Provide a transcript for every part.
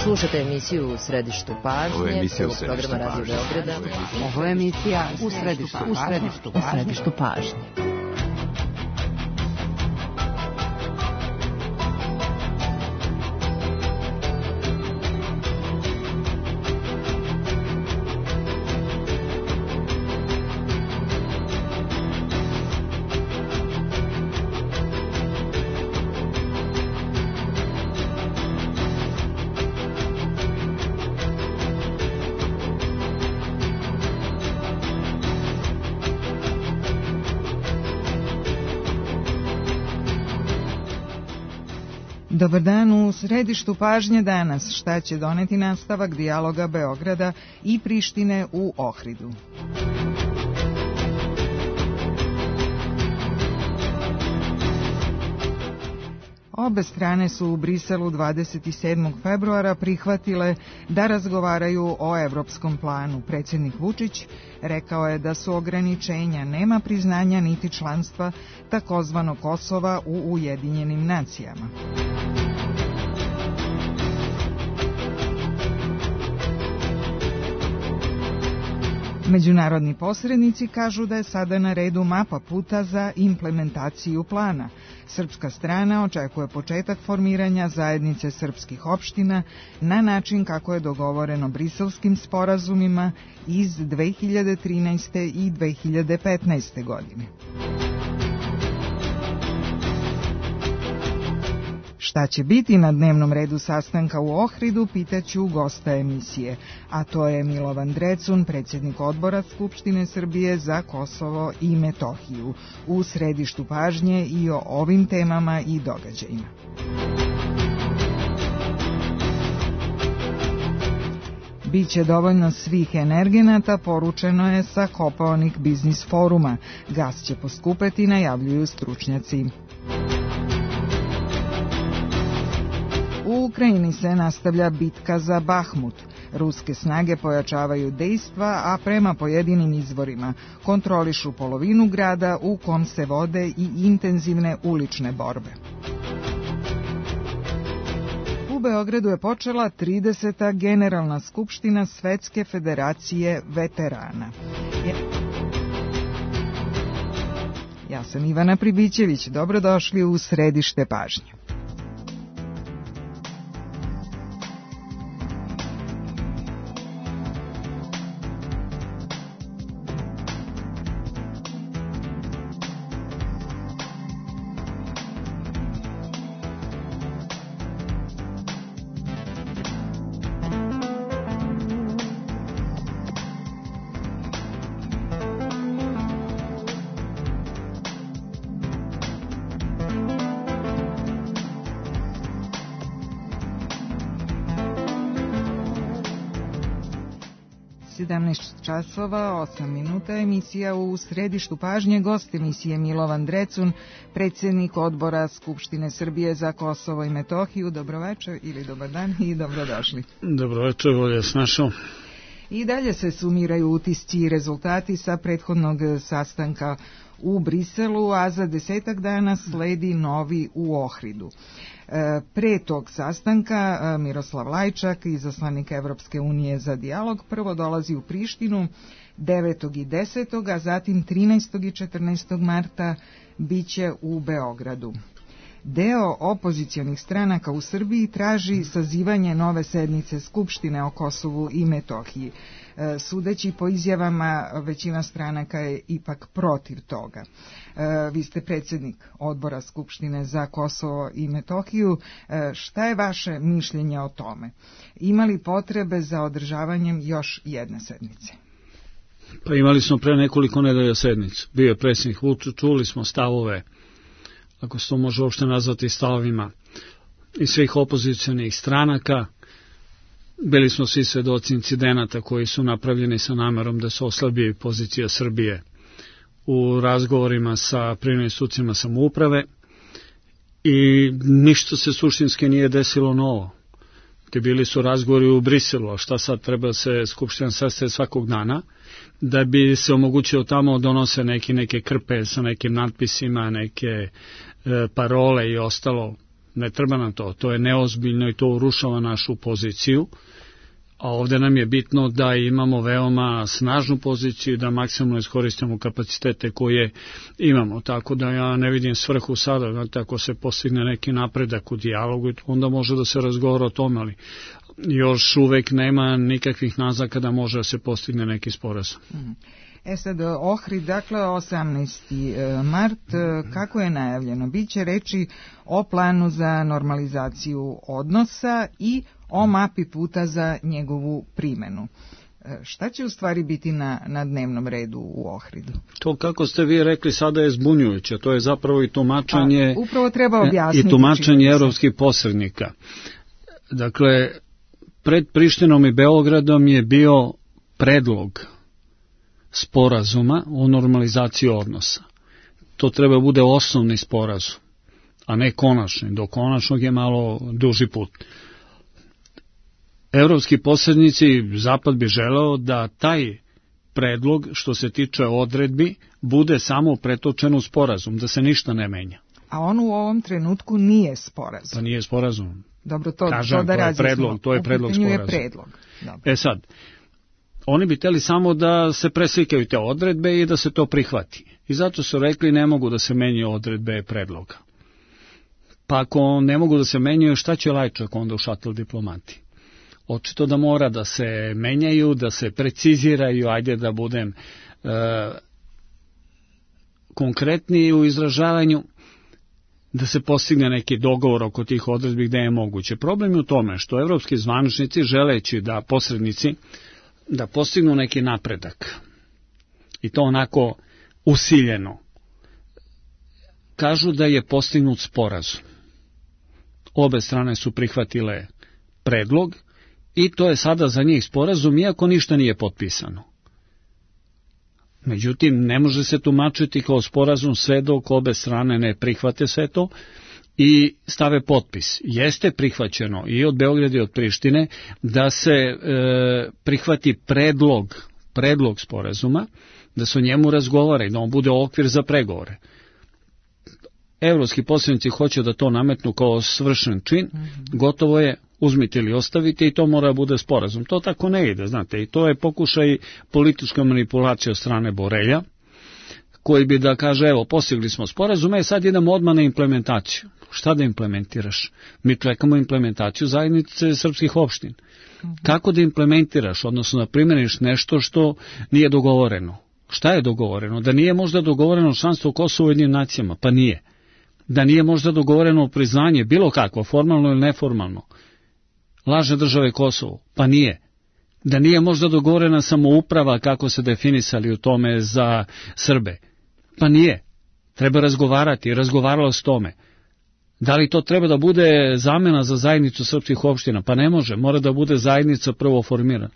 Slušate emisiju U središtu pažnje. Ovo je emisija U središtu pažnje. Radio Beograda. Ovo je emisija U središtu pažnje. Dobar dan, u središtu pažnje danas šta će doneti nastavak dijaloga Beograda i Prištine u Ohridu. Obe strane su u Briselu 27. februara prihvatile da razgovaraju o evropskom planu. Predsjednik Vučić rekao je da su ograničenja, nema priznanja niti članstva takozvanog Kosova u Ujedinjenim nacijama. Međunarodni posrednici kažu da je sada na redu mapa puta za implementaciju plana. Srpska strana očekuje početak formiranja zajednice srpskih opština na način kako je dogovoreno briselskim sporazumima iz 2013. i 2015. godine. Šta će biti na dnevnom redu sastanka u Ohridu, pitaću gosta emisije, a to je Milovan Drecun, predsjednik odbora Skupštine Srbije za Kosovo i Metohiju. U središtu pažnje i o ovim temama i događajima. Biće dovoljno svih energenata, poručeno je sa Kopaonik biznis foruma. Gas će poskupeti, najavljuju stručnjaci. U Ukrajini se nastavlja bitka za Bahmut. Ruske snage pojačavaju dejstva, a prema pojedinim izvorima kontrolišu polovinu grada u kom se vode i intenzivne ulične borbe. U Beogradu je počela 30. Generalna skupština Svetske federacije veterana. Ja sam Ivana Pribićević, dobrodošli u središte pažnje. Časova, 8 minuta, emisija U središtu pažnje, gost emisije Milovan Drecun, predsjednik odbora Skupštine Srbije za Kosovo i Metohiju. Dobroveče ili dobar dan i dobrodošli. Dobroveče, volje s našom. I dalje se sumiraju utisci i rezultati sa prethodnog sastanka u Briselu, a za 10 dana sledi novi u Ohridu. Pre tog sastanka Miroslav Lajčak, izaslanik Evropske unije za dijalog, prvo dolazi u Prištinu 9. i 10. a zatim 13. i 14. marta biće u Beogradu. Deo opozicionih stranaka u Srbiji traži sazivanje nove sednice Skupštine o Kosovu i Metohiji. Sudeći po izjavama, većina stranaka je ipak protiv toga. Vi ste predsjednik odbora Skupštine za Kosovo i Metohiju. Šta je vaše mišljenje o tome? Ima li potrebe za održavanjem još jedne sednice? Pa imali smo pre nekoliko nedelja sednicu. Bio je predsjednik Vučić, čuli smo stavove, ako se to može uopšte nazvati stavovima, i svih opozicionih stranaka. Bili smo svi svedoci incidenata koji su napravljeni sa namerom da se oslabi pozicija Srbije u razgovorima sa privremenim institucijama samouprave i ništa se suštinski nije desilo novo. Bili su razgovori u Briselu, a šta sad, treba se Skupština sastaje svakog dana, da bi se omogućilo tamo donose neke krpe sa nekim natpisima, neke parole i ostalo. ne treba nam to je neozbiljno i to urušava našu poziciju, a ovdje nam je bitno da imamo veoma snažnu poziciju, da maksimalno iskoristimo kapacitete koje imamo, tako da ja ne vidim svrhu sada, znate, ako se postigne neki napredak u dijalogu, onda može da se razgovara o tome, ali još uvek nema nikakvih naznaka da može da se postigne neki sporazum. Sad, Ohrid, dakle, 18. mart, kako je najavljeno? Biće reči o planu za normalizaciju odnosa i o mapi puta za njegovu primjenu. Šta će u stvari biti na dnevnom redu u Ohridu? To, kako ste vi rekli, sada je zbunjujuće. To je zapravo i tumačenje, upravo treba objasniti, i tumačenje evropskih posrednika. Dakle, pred Prištinom i Beogradom je bio predlog sporazuma o normalizaciji odnosa. To treba bude osnovni sporazum, a ne konačni. Do konačnog je malo duži put. Evropski posrednici, Zapad bi želeo da taj predlog, što se tiče odredbi, bude samo pretočen u sporazum, da se ništa ne menja. A on u ovom trenutku nije sporazum. Pa nije sporazum. Dobro, to da razjasnimo. To je predlog sporazum. Sad, oni bi hteli samo da se preslikaju te odredbe i da se to prihvati. I zato su rekli ne mogu da se menjaju odredbe predloga. Pa ako ne mogu da se menjaju, šta će Lajčak onda u šatel diplomati? Očito da mora da se menjaju, da se preciziraju, ajde da budem konkretniji u izražavanju, da se postigne neki dogovor oko tih odredbi gde je moguće. Problem je u tome što evropski zvaničnici, želeći da posrednici da postignu neki napredak, i to onako usiljeno, kažu da je postignut sporazum. Obe strane su prihvatile predlog i to je sada za njih sporazum, iako ništa nije potpisano. Međutim, ne može se tumačiti kao sporazum sve dok obe strane ne prihvate sve to i stave potpis. Jeste prihvaćeno i od Beograda i od Prištine da se prihvati predlog sporazuma, da se o njemu razgovara i da on bude okvir za pregovore. Evropski posrednici hoće da to nametnu kao svršen čin, gotovo je, uzmite ili ostavite i to mora bude sporazum. To tako ne ide, znate, i to je pokušaj politička manipulacija od strane Borelja, koji bi da kaže, evo, postigli smo sporazume, sad idemo odmah na implementaciju. Šta da implementiraš? Mi čekamo implementaciju zajednice srpskih opština. Kako da implementiraš, odnosno da primjeniš nešto što nije dogovoreno? Šta je dogovoreno? Da nije možda dogovoreno članstvo Kosova u Ujedinjenim nacijama? Pa nije. Da nije možda dogovoreno priznanje, bilo kakvo, formalno ili neformalno, lažne države Kosovo? Pa nije. Da nije možda dogovorena samouprava kako se definisali u tome za Srbe? Pa nije. Treba razgovarati, razgovaralo s tome. Da li to treba da bude zamena za zajednicu srpskih opština? Pa ne može, mora da bude zajednica prvo formirana.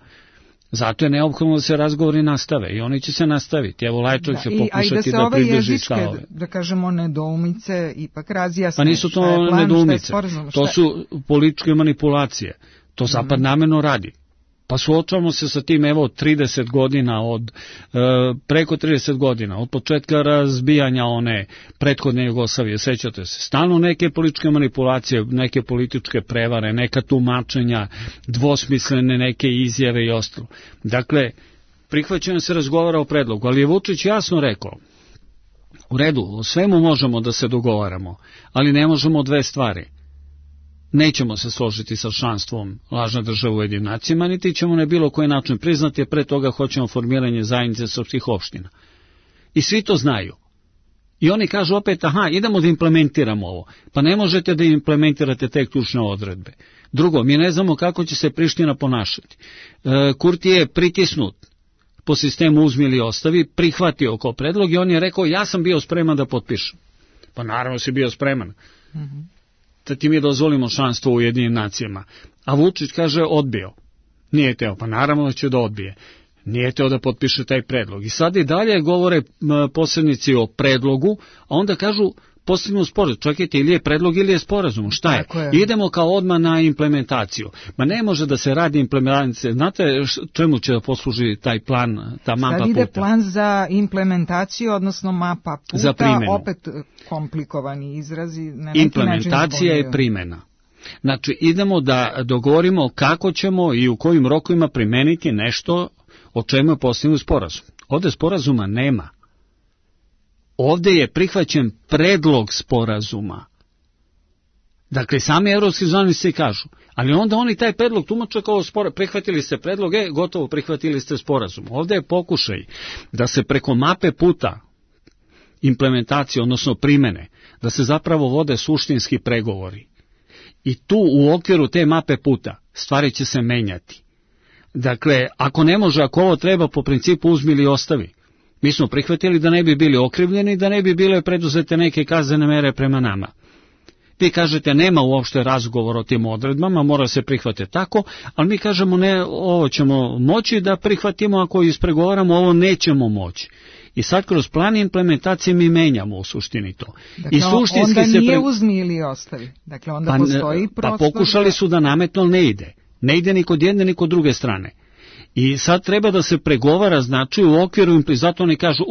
Zato je neophodno da se razgovori nastave i oni će se nastaviti. Evo, Lajčak će pokušati da pridrži stavove. Da kažemo, nedoumice ipak razjasne. Pa nisu to nedoumice, to su političke manipulacije. To Zapad namerno radi. Pa suočavamo se sa tim, evo, 30 godina, preko 30 godina, od početka razbijanja one prethodne Jugoslavije, sećate se, stalno neke političke manipulacije, neke političke prevare, neka tumačenja, dvosmislene neke izjave i ostalo. Dakle, prihvaćeno se razgovara o predlogu, ali je Vučić jasno rekao, u redu, o svemu možemo da se dogovaramo, ali ne možemo dve stvari. Nećemo se složiti sa članstvom lažne države u Ujedinjenim nacijama, niti ćemo na bilo koji način priznati, a pre toga hoćemo formiranje zajednice srpskih opština. I svi to znaju. I oni kažu opet, idemo da implementiramo ovo. Pa ne možete da implementirate te ključne odredbe. Drugo, mi ne znamo kako će se Priština ponašati. Kurti je pritisnut po sistemu uzmi ili ostavi, prihvatio oko predlog i on je rekao, ja sam bio spreman da potpišem. Pa naravno si bio spreman. Da ti mi dozvolimo članstvo u Ujedinjenim nacijama. A Vučić kaže odbio. Nije teo, pa naravno da će da odbije. Nije teo da potpiše taj predlog. I sad i dalje govore posrednici o predlogu, a onda kažu postignu sporazum. Čekajte, ili je predlog ili je sporazum. Šta je? Idemo kao odmah na implementaciju. Ma ne može da se radi implementacija. Znate čemu će da posluži taj plan, ta mapa puta? Sad ide plan za implementaciju, odnosno mapa puta, za primjenu. Opet komplikovani izrazi. Implementacija je primjena. Znači, idemo da dogovorimo kako ćemo i u kojim rokovima primeniti nešto o čemu je postignut sporazum. Ovde sporazuma nema. Ovde je prihvaćen predlog sporazuma. Dakle, sami evropski zvaničnici kažu, ali onda oni taj predlog tumače kao prihvatili ste predlog, gotovo prihvatili ste sporazum. Ovde je pokušaj da se preko mape puta implementacije, odnosno primene, da se zapravo vode suštinski pregovori. I tu u okviru te mape puta stvari će se menjati. Dakle, ako ne može, ako ovo treba po principu uzmi ili ostavi, mi smo prihvatili da ne bi bili okrivljeni, da ne bi bile preduzete neke kaznene mere prema nama. Vi kažete nema uopšte razgovor o tim odredbama, mora se prihvatiti tako, ali mi kažemo ne, ovo ćemo moći da prihvatimo, ako ispregovaramo, ovo nećemo moći. I sad kroz plan implementacije mi menjamo u suštini to. Dakle, i suštinski onda nije uzmi ili ostavi. Dakle, onda postoji prostor. Pa pokušali su da nametno ne ide. Ne ide ni kod jedne ni kod druge strane. I sad treba da se pregovara, znači u okviru, zato oni kažu,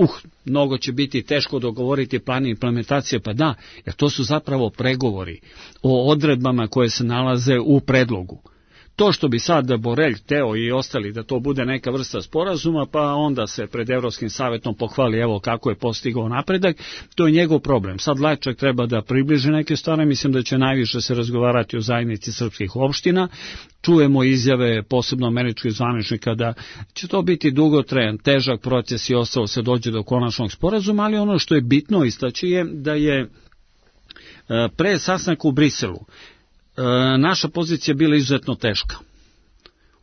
mnogo će biti teško dogovoriti plan implementacije, pa da, jer to su zapravo pregovori o odredbama koje se nalaze u predlogu. To što bi sad Borelj, Teo i ostali da to bude neka vrsta sporazuma, pa onda se pred Evropskim savjetom pohvali evo kako je postigao napredak, to je njegov problem. Sad Lajčak treba da približi neke stvari, mislim da će najviše se razgovarati o zajednici srpskih opština. Čujemo izjave posebno američkih zvaničnika da će to biti dugotrajan, težak proces i ostalo se dođe do konačnog sporazuma, ali ono što je bitno istaći je da je pre sastanka u Briselu naša pozicija bila izuzetno teška,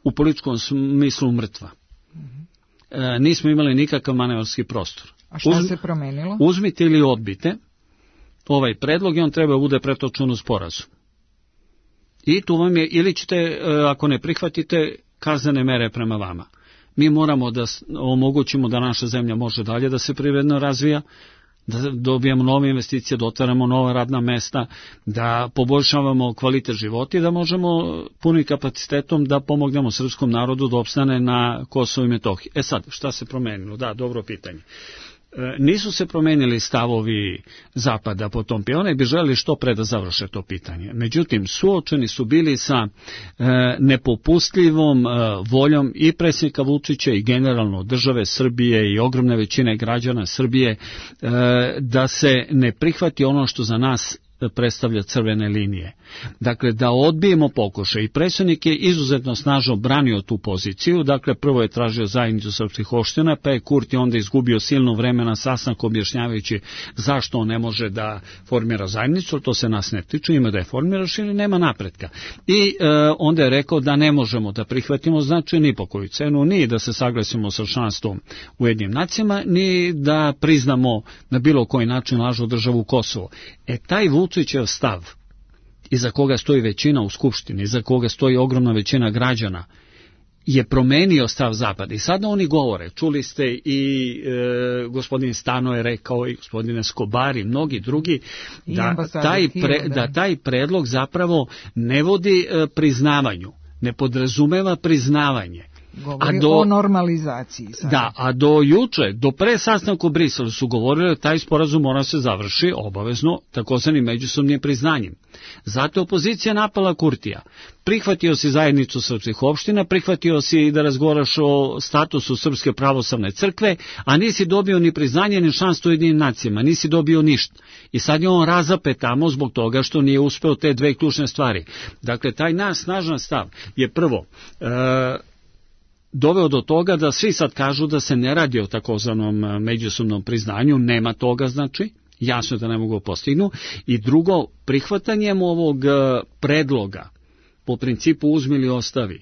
u političkom smislu mrtva. Nismo imali nikakav manevarski prostor. A šta se promenilo? Uzmite ili odbite ovaj predlog i on treba bude pretočen u sporazum. I tu vam je, ili ćete, ako ne prihvatite, kaznene mere prema vama. Mi moramo da omogućimo da naša zemlja može dalje da se privredno razvija, da dobijemo nove investicije, da otvaramo nova radna mesta, da poboljšavamo kvalitet života i da možemo punim kapacitetom da pomognemo srpskom narodu da opstane na Kosovu i Metohiji. Sad, šta se promenilo? Da, dobro pitanje. Nisu se promenili stavovi Zapada po tom pitanju, oni bi želeli što pre da završe to pitanje. Međutim, suočeni su bili sa nepopustljivom voljom i predsjednika Vučića i generalno države Srbije i ogromne većine građana Srbije da se ne prihvati ono što za nas predstavlja crvene linije. Dakle, da odbijemo pokušaj. I predsjednik je izuzetno snažno branio tu poziciju. Dakle, prvo je tražio zajednicu srpskih opština, pa je Kurti onda izgubio silno vremena sastanku objašnjavajući zašto on ne može da formira zajednicu, to se nas ne tiče, ima da je formiraš ili nema napretka. I onda je rekao da ne možemo da prihvatimo, znači ni po koju cenu, ni da se saglasimo sa članstvom u Ujedinjenim nacijama, ni da priznamo na bilo koji način lažnu državu Kosovo. Taj Vučićev stav, iza koga stoji većina u Skupštini, iza koga stoji ogromna većina građana, je promenio stav Zapada. I sada oni govore, čuli ste i gospodin Stano je rekao i gospodin Escobar i mnogi drugi, da taj predlog zapravo ne vodi priznavanju, ne podrazumeva priznavanje. Govori o normalizaciji. Sada. Da, a do juče, do pre sastanka u Briselu su govorili da taj sporazum mora se završi obavezno takozvanim međusobnim priznanjem. Zato opozicija napala Kurtija. Prihvatio si zajednicu srpskih opština, prihvatio si da razgovaraš o statusu Srpske pravoslavne crkve, a nisi dobio ni priznanje ni članstvo u Ujedinjenim nacijama, nisi dobio ništa. I sad je on razapet tamo zbog toga što nije uspeo te dve ključne stvari. Dakle, taj naš snažan stav je prvo doveo do toga da svi sad kažu da se ne radi o takozvanom međusobnom priznanju, nema toga znači, jasno je da ne mogu postignu. I drugo, prihvatanjem ovog predloga po principu uzmi ili ostavi,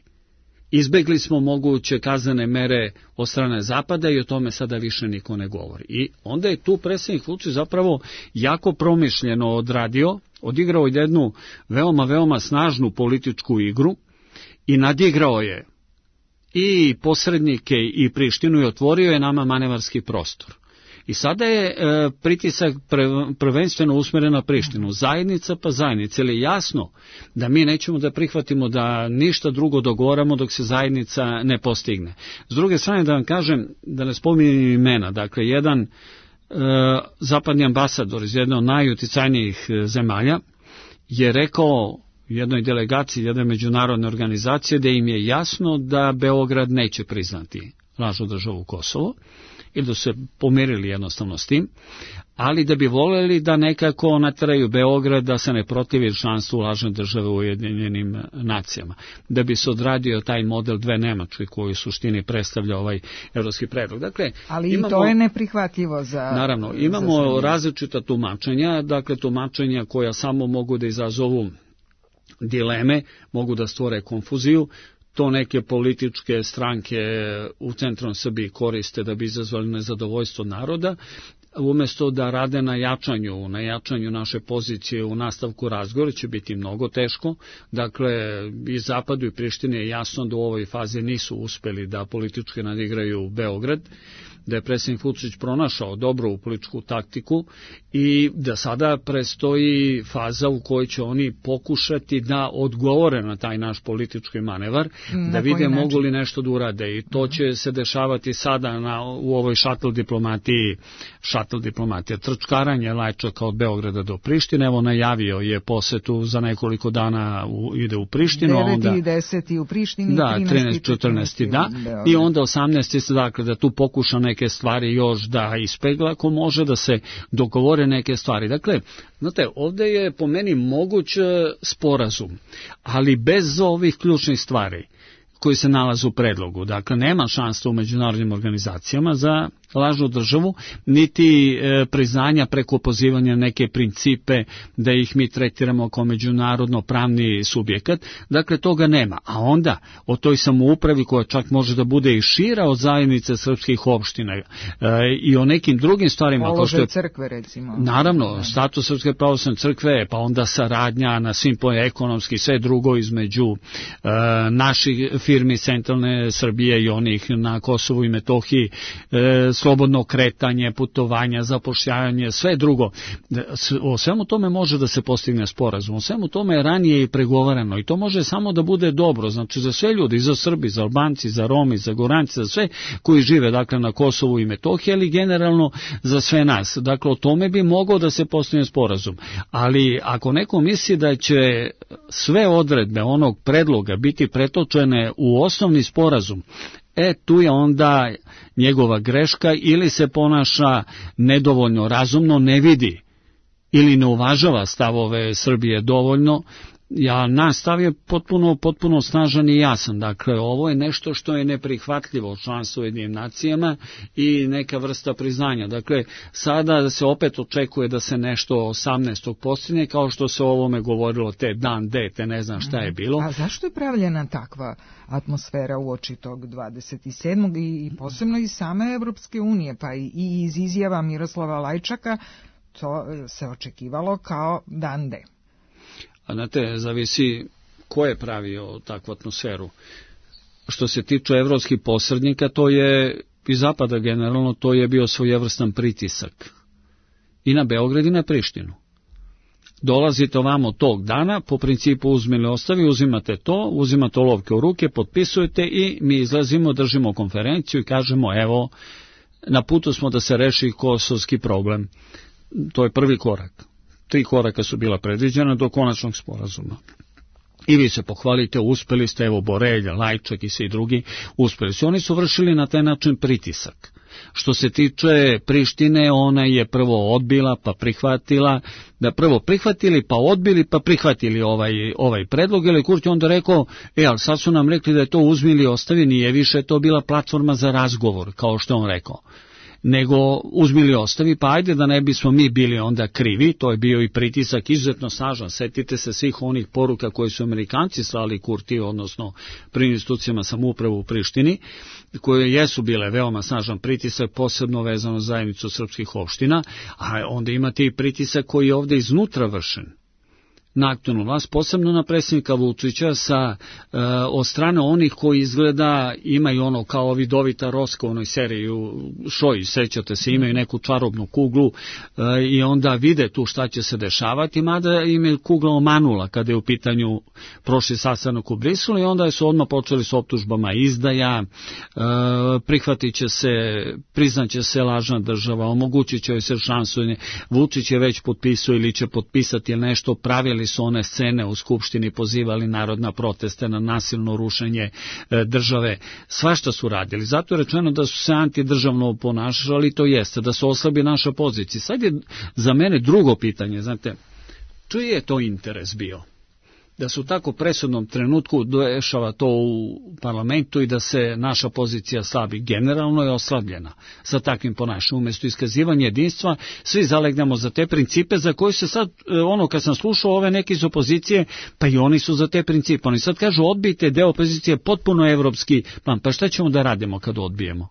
izbegli smo moguće kaznene mere od strane Zapada i o tome sada više niko ne govori. I onda je tu predsjednik Vučić zapravo jako promišljeno odradio, odigrao jednu veoma snažnu političku igru i nadigrao je i posrednike i Prištinu i otvorio je nama manevarski prostor. I sada je pritisak prvenstveno usmjeren na Prištinu. Zajednica pa zajednica. Ili jasno da mi nećemo da prihvatimo da ništa drugo dogovaramo dok se zajednica ne postigne. S druge strane da vam kažem, da ne spominjem imena, dakle jedan zapadni ambasador iz jedne od najuticajnijih zemalja je rekao jednoj delegaciji jedne međunarodne organizacije da im je jasno da Beograd neće priznati lažnu državu Kosovo i da se pomirili jednostavno s tim, ali da bi voljeli da nekako nateraju Beograd da se ne protivi članstvu lažne države u Ujedinjenim nacijama, da bi se odradio taj model dve Nemačke koji u suštini predstavlja ovaj evropski predlog. Dakle, ali imamo, i to je neprihvatljivo za... Naravno, imamo različita tumačenja, dakle tumačenja koja samo mogu da izazovu dileme, mogu da stvore konfuziju. To neke političke stranke u centralnoj Srbiji koriste da bi izazvali nezadovoljstvo naroda, umjesto da rade na jačanju naše pozicije u nastavku razgovora, će biti mnogo teško. Dakle, i Zapadu i Prištini je jasno da u ovoj fazi nisu uspeli da politički nadigraju Beograd, da je predsjednik Vučić pronašao dobru političku taktiku i da sada prestoji faza u kojoj će oni pokušati da odgovore na taj naš politički manevar, da vide mogu li nešto da urade i to će se dešavati sada u ovoj šatl diplomatija, trčkaranje Lajčaka od Beograda do Prištine. Evo najavio je posetu za nekoliko dana ide u Prištinu. 9. i 10. u Prištini, da, 13. 14. da, i onda 18. dakle da tu pokuša neke stvari još da ispegla, ako može da se dogovore neke stvari. Dakle, znate, ovdje je po meni moguć sporazum, ali bez ovih ključnih stvari koji se nalaze u predlogu. Dakle, nema šansa u međunarodnim organizacijama za lažnu državu, niti priznanja preko pozivanja neke principe da ih mi tretiramo kao međunarodno pravni subjekat. Dakle, toga nema. A onda o toj samoupravi koja čak može da bude i šira od zajednice srpskih opština i o nekim drugim stvarima. Položaj crkve, recimo. Naravno, status Srpske pravoslavne crkve, pa onda saradnja na svim poljima ekonomski, sve drugo između naših firmi centralne Srbije i onih na Kosovu i Metohiji, slobodno kretanje, putovanja, zapošljavanje, sve drugo. O svemu tome može da se postigne sporazum. O svemu tome je ranije i pregovarano i to može samo da bude dobro. Znači za sve ljudi, za Srbi, za Albanci, za Romi, za Goranci, za sve koji žive dakle na Kosovu i Metohiji, ali generalno za sve nas. Dakle, o tome bi mogao da se postigne sporazum. Ali ako neko misli da će sve odredbe onog predloga biti pretočene u osnovni sporazum, tu je onda njegova greška, ili se ponaša nedovoljno razumno, ne vidi ili ne uvažava stavove Srbije dovoljno. Naš stav je potpuno snažan i jasan. Dakle, ovo je nešto što je neprihvatljivo članstvo u Ujedinjenim nacijama i neka vrsta priznanja. Dakle, sada se opet očekuje da se nešto 18. postigne, kao što se o ovome govorilo te dan D, te ne znam šta je bilo. A zašto je pravljena takva atmosfera uoči tog 27. i posebno iz same Evropske unije, pa i iz izjava Miroslava Lajčaka, to se očekivalo kao dan D. A znate, zavisi ko je pravio takvu atmosferu. Što se tiče evropskih posrednika, to je i Zapada generalno, to je bio svojevrstan pritisak. I na Beograd i na Prištinu. Dolazite ovamo tog dana, po principu uzmi ili ostavi, uzimate olovke u ruke, potpisujete i mi izlazimo, držimo konferenciju i kažemo evo, na putu smo da se reši kosovski problem. To je prvi korak. 3 koraka su bila predviđena do konačnog sporazuma. I vi se pohvalite, uspeli ste, evo Borelja, Lajčak i svi drugi, uspeli su. Oni su vršili na taj način pritisak. Što se tiče Prištine, ona je prvo odbila pa prihvatila, da prvo prihvatili pa odbili pa prihvatili ovaj predlog, ili Kurti onda rekao, ali sad su nam rekli da je to uzmi ili ostavi, nije više to bila platforma za razgovor, kao što on rekao, nego uzmi ili ostavi, pa ajde da ne bismo mi bili onda krivi. To je bio i pritisak izuzetno snažan. Setite se svih onih poruka koje su Amerikanci slali Kurti, odnosno pri institucijama samouprave u Prištini, koje jesu bile veoma snažan pritisak, posebno vezano za zajednicu srpskih opština, a onda imate i pritisak koji je ovde iznutra vršen. na aktualnu vlast, posebno na predsjednika Vučića od strane onih koji izgleda imaju ono kao vidovita Roska u onoj seriji u Šoji, sećate se, imaju neku čarobnu kuglu i onda vide tu šta će se dešavati, mada im je kugla omanula kada je u pitanju prošli sastanak u Briselu i onda su odmah počeli s optužbama izdaja, prihvatit će se, priznaće se lažna država, omogućit će joj se šansu, Vučić je već potpisao ili će potpisati nešto, pravili su one scene u Skupštini, pozivali narod na proteste, na nasilno rušenje države, svašta su radili. Zato je rečeno da su se antidržavno ponašali, to jeste, da se oslabi naša pozicija. Sad je za mene drugo pitanje, znate, čiji je to interes bio? Da se u tako presudnom trenutku dešava to u parlamentu i da se naša pozicija slabi. Generalno je oslabljena sa takvim ponašanjem. Umjesto iskazivanja jedinstva, svi zalegnemo za te principe za koje se sad, kad sam slušao ove neke iz opozicije, pa i oni su za te principe. Oni sad kažu, odbijte deo opozicije potpuno evropski plan. Pa šta ćemo da radimo kad odbijemo?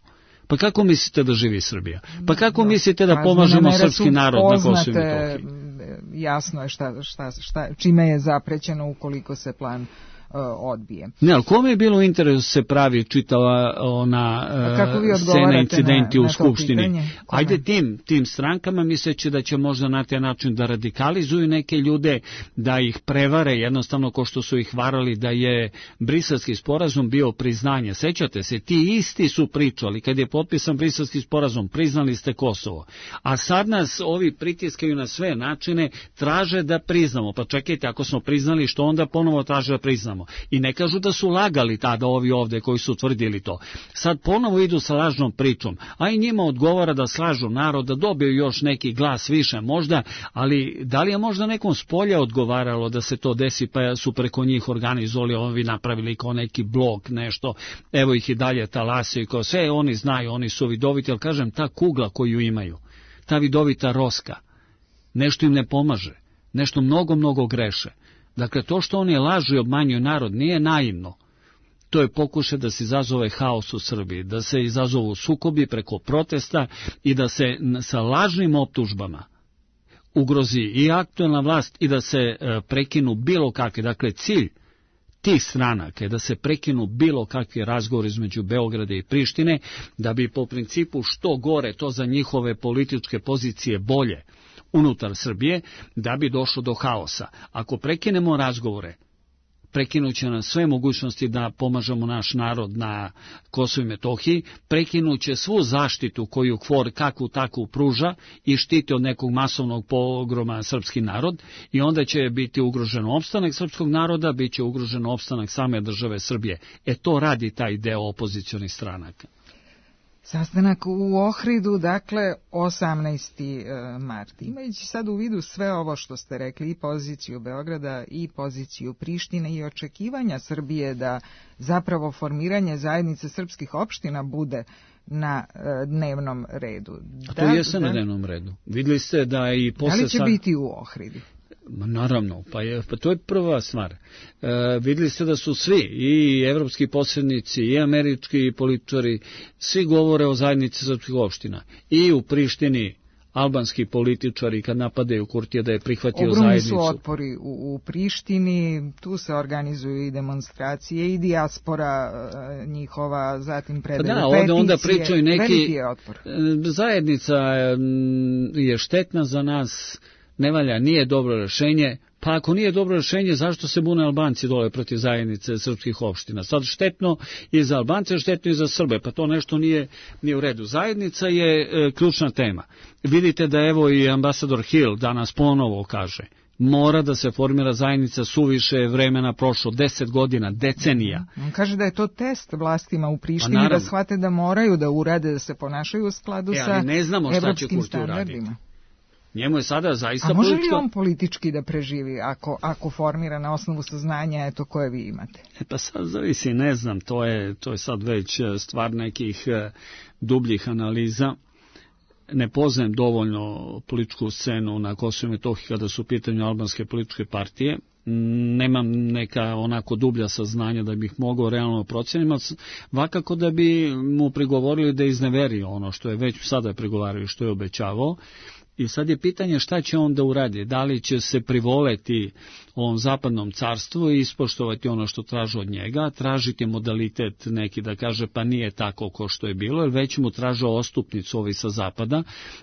Pa kako mislite da živi Srbija? Pa kako mislite da pomažemo srpski narod na Kosovu i Metohiji? Jasno je čime je zaprećeno ukoliko se plan odbije. Ne, ali kome je bilo interes se pravi čitava ona scena incidenti u Skupštini? Ajde tim strankama, misleći da će možda na taj način da radikalizuju neke ljude, da ih prevare, jednostavno ko što su ih varali da je Briselski sporazum bio priznanje. Sećate se, ti isti su pričali, kad je potpisan Briselski sporazum, priznali ste Kosovo. A sad nas ovi pritiskaju na sve načine, traže da priznamo. Pa čekajte, ako smo priznali, što onda ponovo traže da priznamo? I ne kažu da su lagali tada ovi ovde koji su tvrdili to. Sad ponovo idu sa lažnom pričom, a i njima odgovara da slažu narod, da dobiju još neki glas više možda, ali da li je možda nekom spolja odgovaralo da se to desi, pa su preko njih organizovali, ovi napravili kao neki blog, nešto, evo ih i dalje talasaju, kao sve oni znaju, oni su vidoviti, ali kažem, ta kugla koju imaju, ta vidovita Roska, nešto im ne pomaže, nešto mnogo greše. Dakle, to što oni lažu i obmanjuju narod nije naivno. To je pokušaj da se izazove haos u Srbiji, da se izazovu sukobi preko protesta i da se sa lažnim optužbama ugrozi i aktuelna vlast i da se prekinu bilo kakve. Dakle, cilj tih stranaka je da se prekinu bilo kakvi razgovori između Beograda i Prištine, da bi po principu što gore to za njihove političke pozicije bolje unutar Srbije, da bi došlo do haosa. Ako prekinemo razgovore, prekinuće nam sve mogućnosti da pomažemo naš narod na Kosovu i Metohiji, prekinuće svu zaštitu koju KFOR kakvu takvu pruža i štiti od nekog masovnog pogroma srpski narod, i onda će biti ugrožen opstanak srpskog naroda, bit će ugrožen opstanak same države Srbije. To radi taj deo opozicionih stranaka. Sastanak u Ohridu, dakle, 18. mart. Imajući sad u vidu sve ovo što ste rekli, i poziciju Beograda i poziciju Prištine i očekivanja Srbije da zapravo formiranje zajednice srpskih opština bude na dnevnom redu. A to jeste na dnevnom redu. Vidjeli ste da i posle... Da li će biti u Ohridu? Naravno, pa to je prva stvar. Vidjeli ste da su svi, i evropski posrednici, i američki političari, svi govore o zajednici srpskih opština. I u Prištini albanski političari kad napadaju Kurtija da je prihvatio zajednicu. Ogromni su otpori u Prištini, tu se organizuju i demonstracije i dijaspora njihova, zatim predaju peticije. Onda pričaju neki, veliki je otpor. Zajednica je štetna za nas, ne valja, nije dobro rješenje. Pa ako nije dobro rješenje, zašto se bune Albanci dole protiv zajednice srpskih opština? Sad štetno i za Albance, štetno i za Srbe, pa to nešto nije u redu. Zajednica je ključna tema. Vidite da evo i ambasador Hill danas ponovo kaže, mora da se formira zajednica, suviše vremena prošlo, 10 godina, decenija. On kaže da je to test vlastima u Prištini, da shvate da moraju da urade, da se ponašaju u skladu sa evropskim standardima. Njemu je sada zaista politička... A može li on politički da preživi ako formira na osnovu saznanja koje vi imate? Pa sad zavisi, ne znam, to je sad već stvar nekih dubljih analiza. Ne poznajem dovoljno političku scenu na Kosovu i Metohiji kada su u pitanju albanske političke partije. Nemam neka onako dublja saznanja da bih mogao realno proceniti, vakako da bi mu prigovorili da izneveri ono što je već sada prigovarao i što je obećavao. I sad je pitanje šta će on da uradi, da li će se privoleti ovom zapadnom carstvu i ispoštovati ono što traže od njega, tražiti modalitet neki da kaže pa nije tako ko što je bilo, jer već mu traže ostupnicu ovi sa zapada,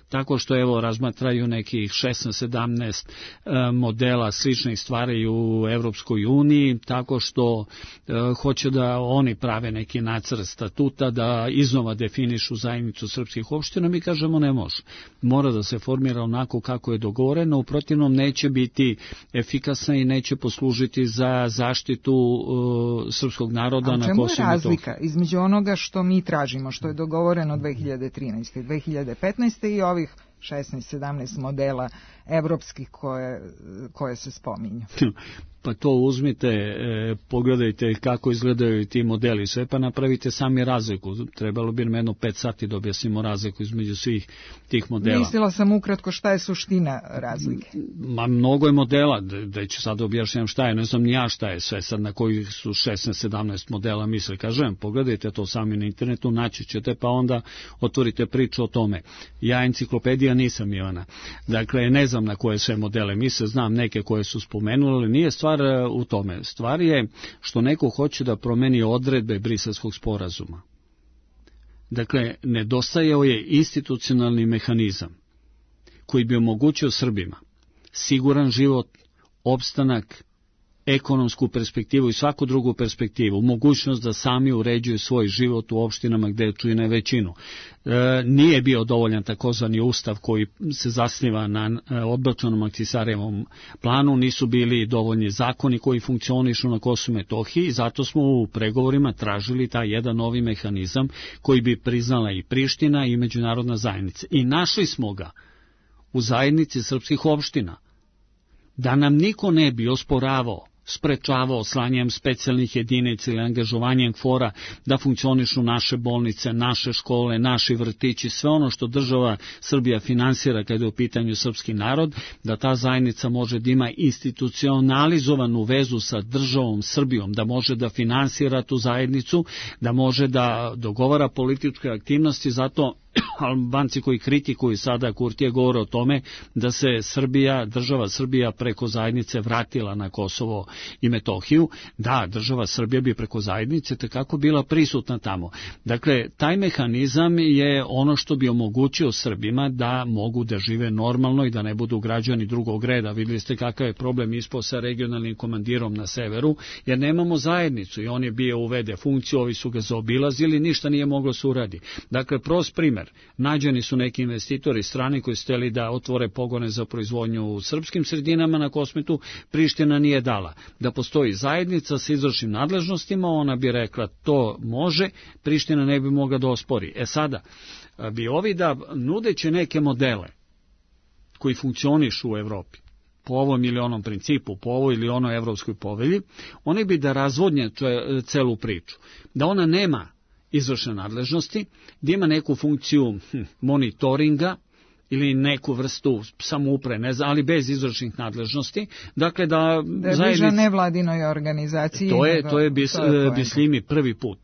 tako što evo razmatraju nekih 16-17 modela sličnih stvari u Evropskoj uniji, tako što hoće da oni prave neki nacrt statuta, da iznova definišu zajednicu srpskih opština, mi kažemo ne može. Mora da se formira onako kako je dogovoreno, u protivnom neće biti efikasna i neće poslužiti za zaštitu srpskog naroda na Kosovu i Metohiji. A čemu je razlika između onoga što mi tražimo, što je dogovoreno 2013. 2015. i ovih 16-17 modela evropskih koje se spominju? Pa to uzmite, pogledajte kako izgledaju ti modeli, sve pa napravite sami razliku. Trebalo bi nam jedno 5 sati da objasnimo razliku između svih tih modela. Mislila sam ukratko šta je suština razlike. Mnogo je modela, da ću sad objašnjam šta je, ne znam ni ja šta je sve sad na kojih su 16-17 modela misle. Kažem, pogledajte to sami na internetu, naći ćete pa onda otvorite priču o tome. Ja enciklopedija nisam, Ivana. Dakle, ne znam na koje sve modele misle, znam neke koje su spomenuli, ali nije stvar u tome. Stvar je što neko hoće da promeni odredbe Briselskog sporazuma. Dakle, nedostajao je institucionalni mehanizam koji bi omogućio Srbima siguran život, opstanak, ekonomsku perspektivu i svaku drugu perspektivu, mogućnost da sami uređuju svoj život u opštinama gde čine većinu. Nije bio dovoljan takozvani ustav koji se zasniva na odbačenom Ahtisarijevom planu, nisu bili dovoljni zakoni koji funkcionišu na Kosovu i Metohiji i zato smo u pregovorima tražili taj jedan novi mehanizam koji bi priznala i Priština i međunarodna zajednica. I našli smo ga u zajednici srpskih opština. Da nam niko ne bi osporavao, sprečavao slanjem specijalnih jedinica ili angažovanjem KFOR-a da funkcionišu naše bolnice, naše škole, naši vrtići, sve ono što država Srbija finansira kada je u pitanju srpski narod, da ta zajednica može da ima institucionalizovanu vezu sa državom Srbijom, da može da finansira tu zajednicu, da može da dogovara političke aktivnosti, zato Albanci koji kritikuju sada Kurtija govore o tome da se Srbija, država Srbija preko zajednice vratila na Kosovo i Metohiju. Da, država Srbija bi preko zajednice tekako bila prisutna tamo. Dakle, taj mehanizam je ono što bi omogućio Srbima da mogu da žive normalno i da ne budu građani drugog reda. Vidjeli ste kakav je problem ispao sa regionalnim komandirom na severu, jer nemamo zajednicu i on je bio uvede funkciju, ovi su ga zaobilazili, ništa nije moglo se uradi. Dakle, prost primer. Nađeni su neki investitori strani koji su hteli da otvore pogone za proizvodnju u srpskim sredinama na Kosmetu, Priština nije dala. Da postoji zajednica sa izvršnim nadležnostima, ona bi rekla to može, Priština ne bi mogla da ospori. Sada bi ovi da nudeći neke modele koji funkcionišu u Evropi, po ovom ili onom principu, po ovoj ili onoj evropskoj povelji, oni bi da razvodnje celu priču. Da ona nema izvršne nadležnosti, da ima neku funkciju monitoringa ili neku vrstu samouprave, ne znam, ali bez izvršnih nadležnosti. Dakle, da bliža nevladinoj organizaciji. To je Bislimi prvi put.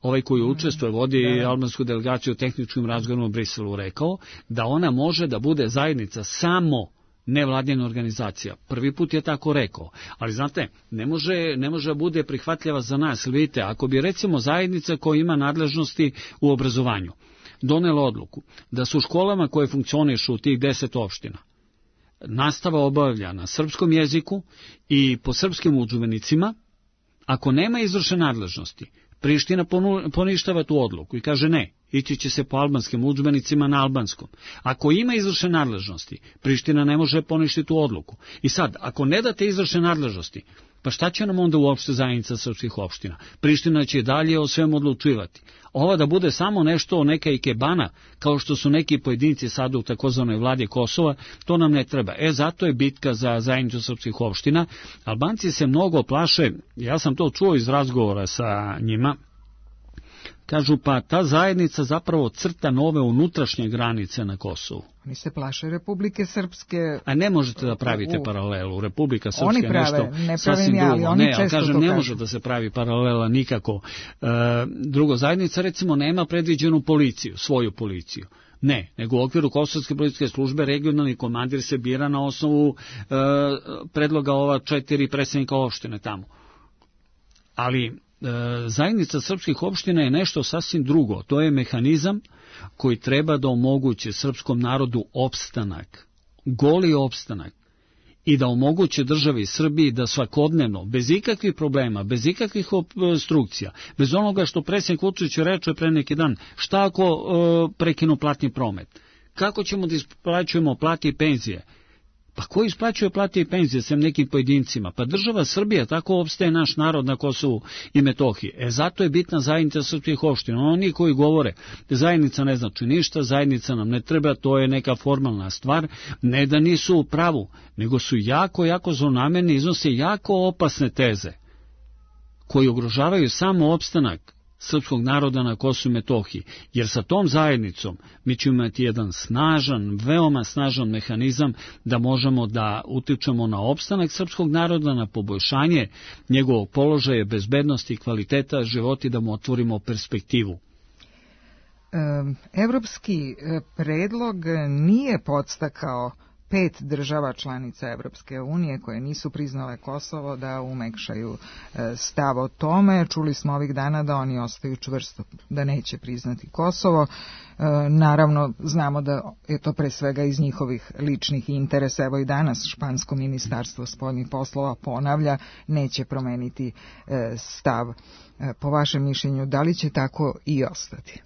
Ovaj koji učestvuje, vodi albansku delegaciju u tehničkim razgovorima u Briselu, rekao da ona može da bude zajednica samo nevladina organizacija. Prvi put je tako rekao. Ali znate, ne može da bude prihvatljiva za nas. Vidite, ako bi recimo zajednica koja ima nadležnosti u obrazovanju donela odluku da su u školama koje funkcionišu u tih 10 opština nastava obavlja na srpskom jeziku i po srpskim udžbenicima, ako nema izvršne nadležnosti, Priština poništava tu odluku i kaže ne, ići će se po albanskim udžbenicima na albanskom. Ako ima izvršne nadležnosti, Priština ne može poništiti tu odluku. I sad, ako ne date izvršne nadležnosti, pa šta će nam onda uopšte zajednica srpskih opština? Priština će dalje o svemu odlučivati. Ova da bude samo nešto neka ikebana, kao što su neki pojedinci sada u takozvanoj vladi Kosova, to nam ne treba. Zato je bitka za zajednicu srpskih opština. Albanci se mnogo plaše, ja sam to čuo iz razgovora sa njima, kažu pa ta zajednica zapravo crta nove unutrašnje granice na Kosovu. Oni se plaše Republike Srpske. A ne možete da pravite paralelu. Republika Srpska oni prave, je nešto sasvim drugo. Ne, ali kažem, ne može da se pravi paralela nikako. Drugo, zajednica recimo nema predviđenu policiju, svoju policiju. Ne, nego u okviru Kosovske policijske službe regionalni komandir se bira na osnovu predloga ova 4 predsednika opštine tamo. Ali zajednica srpskih opština je nešto sasvim drugo. To je mehanizam koji treba da omogući srpskom narodu opstanak, goli opstanak, i da omoguće državi Srbiji da svakodnevno, bez ikakvih problema, bez ikakvih obstrukcija, bez onoga što predsjednik Vučić reče pre neki dan, šta ako prekinu platni promet? Kako ćemo da isplaćujemo plate i penzije? Pa ko isplaćuje plate i penzije sem nekim pojedincima? Pa država Srbija, tako opstaje naš narod na Kosovu i Metohiji. Zato je bitna zajednica srpskih opština. Oni koji govore, zajednica ne znači ništa, zajednica nam ne treba, to je neka formalna stvar, ne da nisu u pravu, nego su jako zlonamerni, iznose jako opasne teze, koji ugrožavaju samo opstanak srpskog naroda na Kosovu i Metohiji, jer sa tom zajednicom mi ćemo imati jedan snažan, veoma snažan mehanizam da možemo da utičemo na opstanak srpskog naroda, na poboljšanje njegovog položaja, bezbednosti i kvaliteta života i da mu otvorimo perspektivu. Evropski predlog nije podstakao 5 država članica Evropske unije koje nisu priznale Kosovo da umekšaju stav o tome. Čuli smo ovih dana da oni ostaju čvrsto, da neće priznati Kosovo. Naravno, znamo da je to pre svega iz njihovih ličnih interesa. Evo i danas špansko ministarstvo spoljnih poslova ponavlja, neće promeniti stav. Po vašem mišljenju, da li će tako i ostati?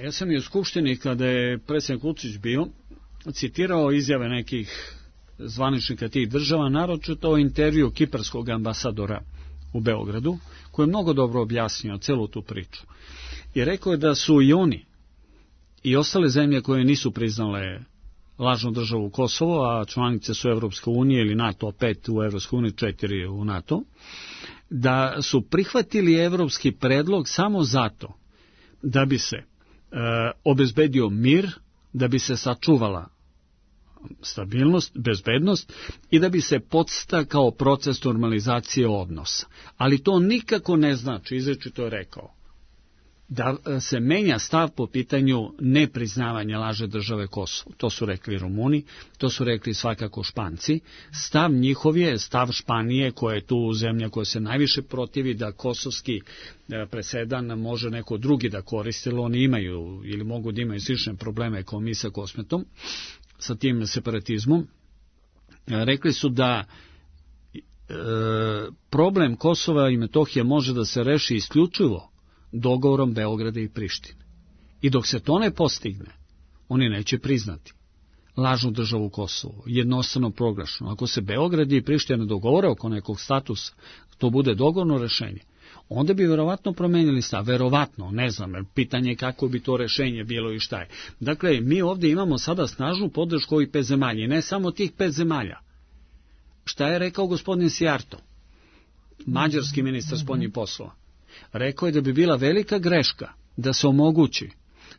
Ja sam i u Skupštini, kada je predsjednik Vučić bio, citirao izjave nekih zvaničnika tih država, naročito o intervju kiparskog ambasadora u Beogradu, koji je mnogo dobro objasnio celu tu priču. I rekao je da su i oni i ostale zemlje koje nisu priznale lažnu državu Kosovo, a članice su Evropske unije ili NATO, 5 u Evropskoj uniji, 4 u NATO, da su prihvatili evropski predlog samo zato da bi se obezbedio mir, da bi se sačuvala stabilnost, bezbednost i da bi se podstakao proces normalizacije odnosa. Ali to nikako ne znači, izričito je rekao, da se menja stav po pitanju nepriznavanja lažne države Kosovo. To su rekli Rumuni, to su rekli svakako Španci. Stav njihov je, stav Španije, koja je tu zemlja koja se najviše protivi da kosovski presedan može neko drugi da koristi, jer oni imaju ili mogu da imaju slične probleme kao mi sa Kosmetom, sa tim separatizmom. Rekli su da problem Kosova i Metohije može da se reši isključivo dogovorom Beograda i Prištine. I dok se to ne postigne, oni neće priznati lažnu državu Kosovo, jednostavno proglašeno. Ako se Beograd i Priština dogovore oko nekog statusa, to bude dogovorno rešenje, onda bi verovatno promenili stav. Verovatno, ne znam, pitanje je kako bi to rešenje bilo i šta je. Dakle, mi ovdje imamo sada snažnu podršku ovih 5 zemalja, i ne samo tih 5 zemalja. Šta je rekao gospodin Sijarto, mađarski ministar spoljnih poslova? Rekao je da bi bila velika greška da se omogući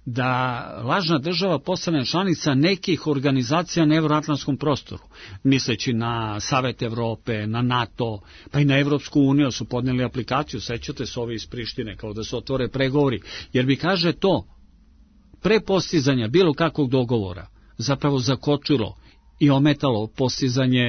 da lažna država postane članica nekih organizacija na evroatlantskom prostoru, misleći na Savet Evrope, na NATO, pa i na Evropsku uniju su podnijeli aplikaciju, sećate se ovi iz Prištine, kao da se otvore pregovori, jer bi, kaže, to pre postizanja bilo kakvog dogovora zapravo zakočilo i ometalo postizanje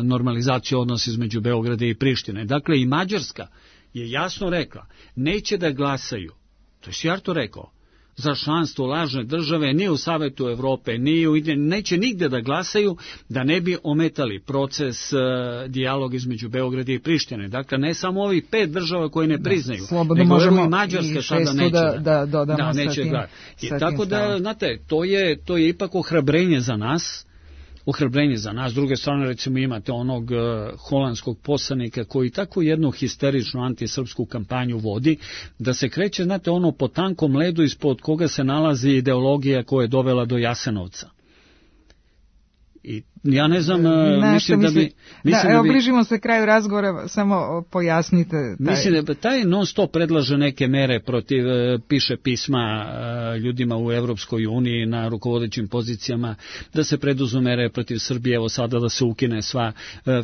normalizacije odnosa između Beograda i Prištine. Dakle, i Mađarska je jasno rekla, neće da glasaju, to je Sijarto rekao, za članstvo lažne države, ni u Savetu Evrope, neće nigde da glasaju, da ne bi ometali proces dijaloga između Beograda i Prištine. Dakle, ne samo ovih 5 država koje ne priznaju, nego evo i Mađarska sada neće da neće da. Tako da, znate, to je ipak ohrabrenje za nas. S druge strane, recimo, imate onog holandskog poslanika koji tako jednu histeričnu antisrpsku kampanju vodi, da se kreće, znate, ono po tankom ledu ispod koga se nalazi ideologija koja je dovela do Jasenovca. I Ja ne znam, mislim da bi... Evo, bližimo se kraju razgovora, samo pojasnite. Mislim da taj non stop predlaže neke mere protiv, piše pisma ljudima u Evropskoj uniji na rukovodećim pozicijama, da se preduzmu mere protiv Srbije, evo sada da se ukine sva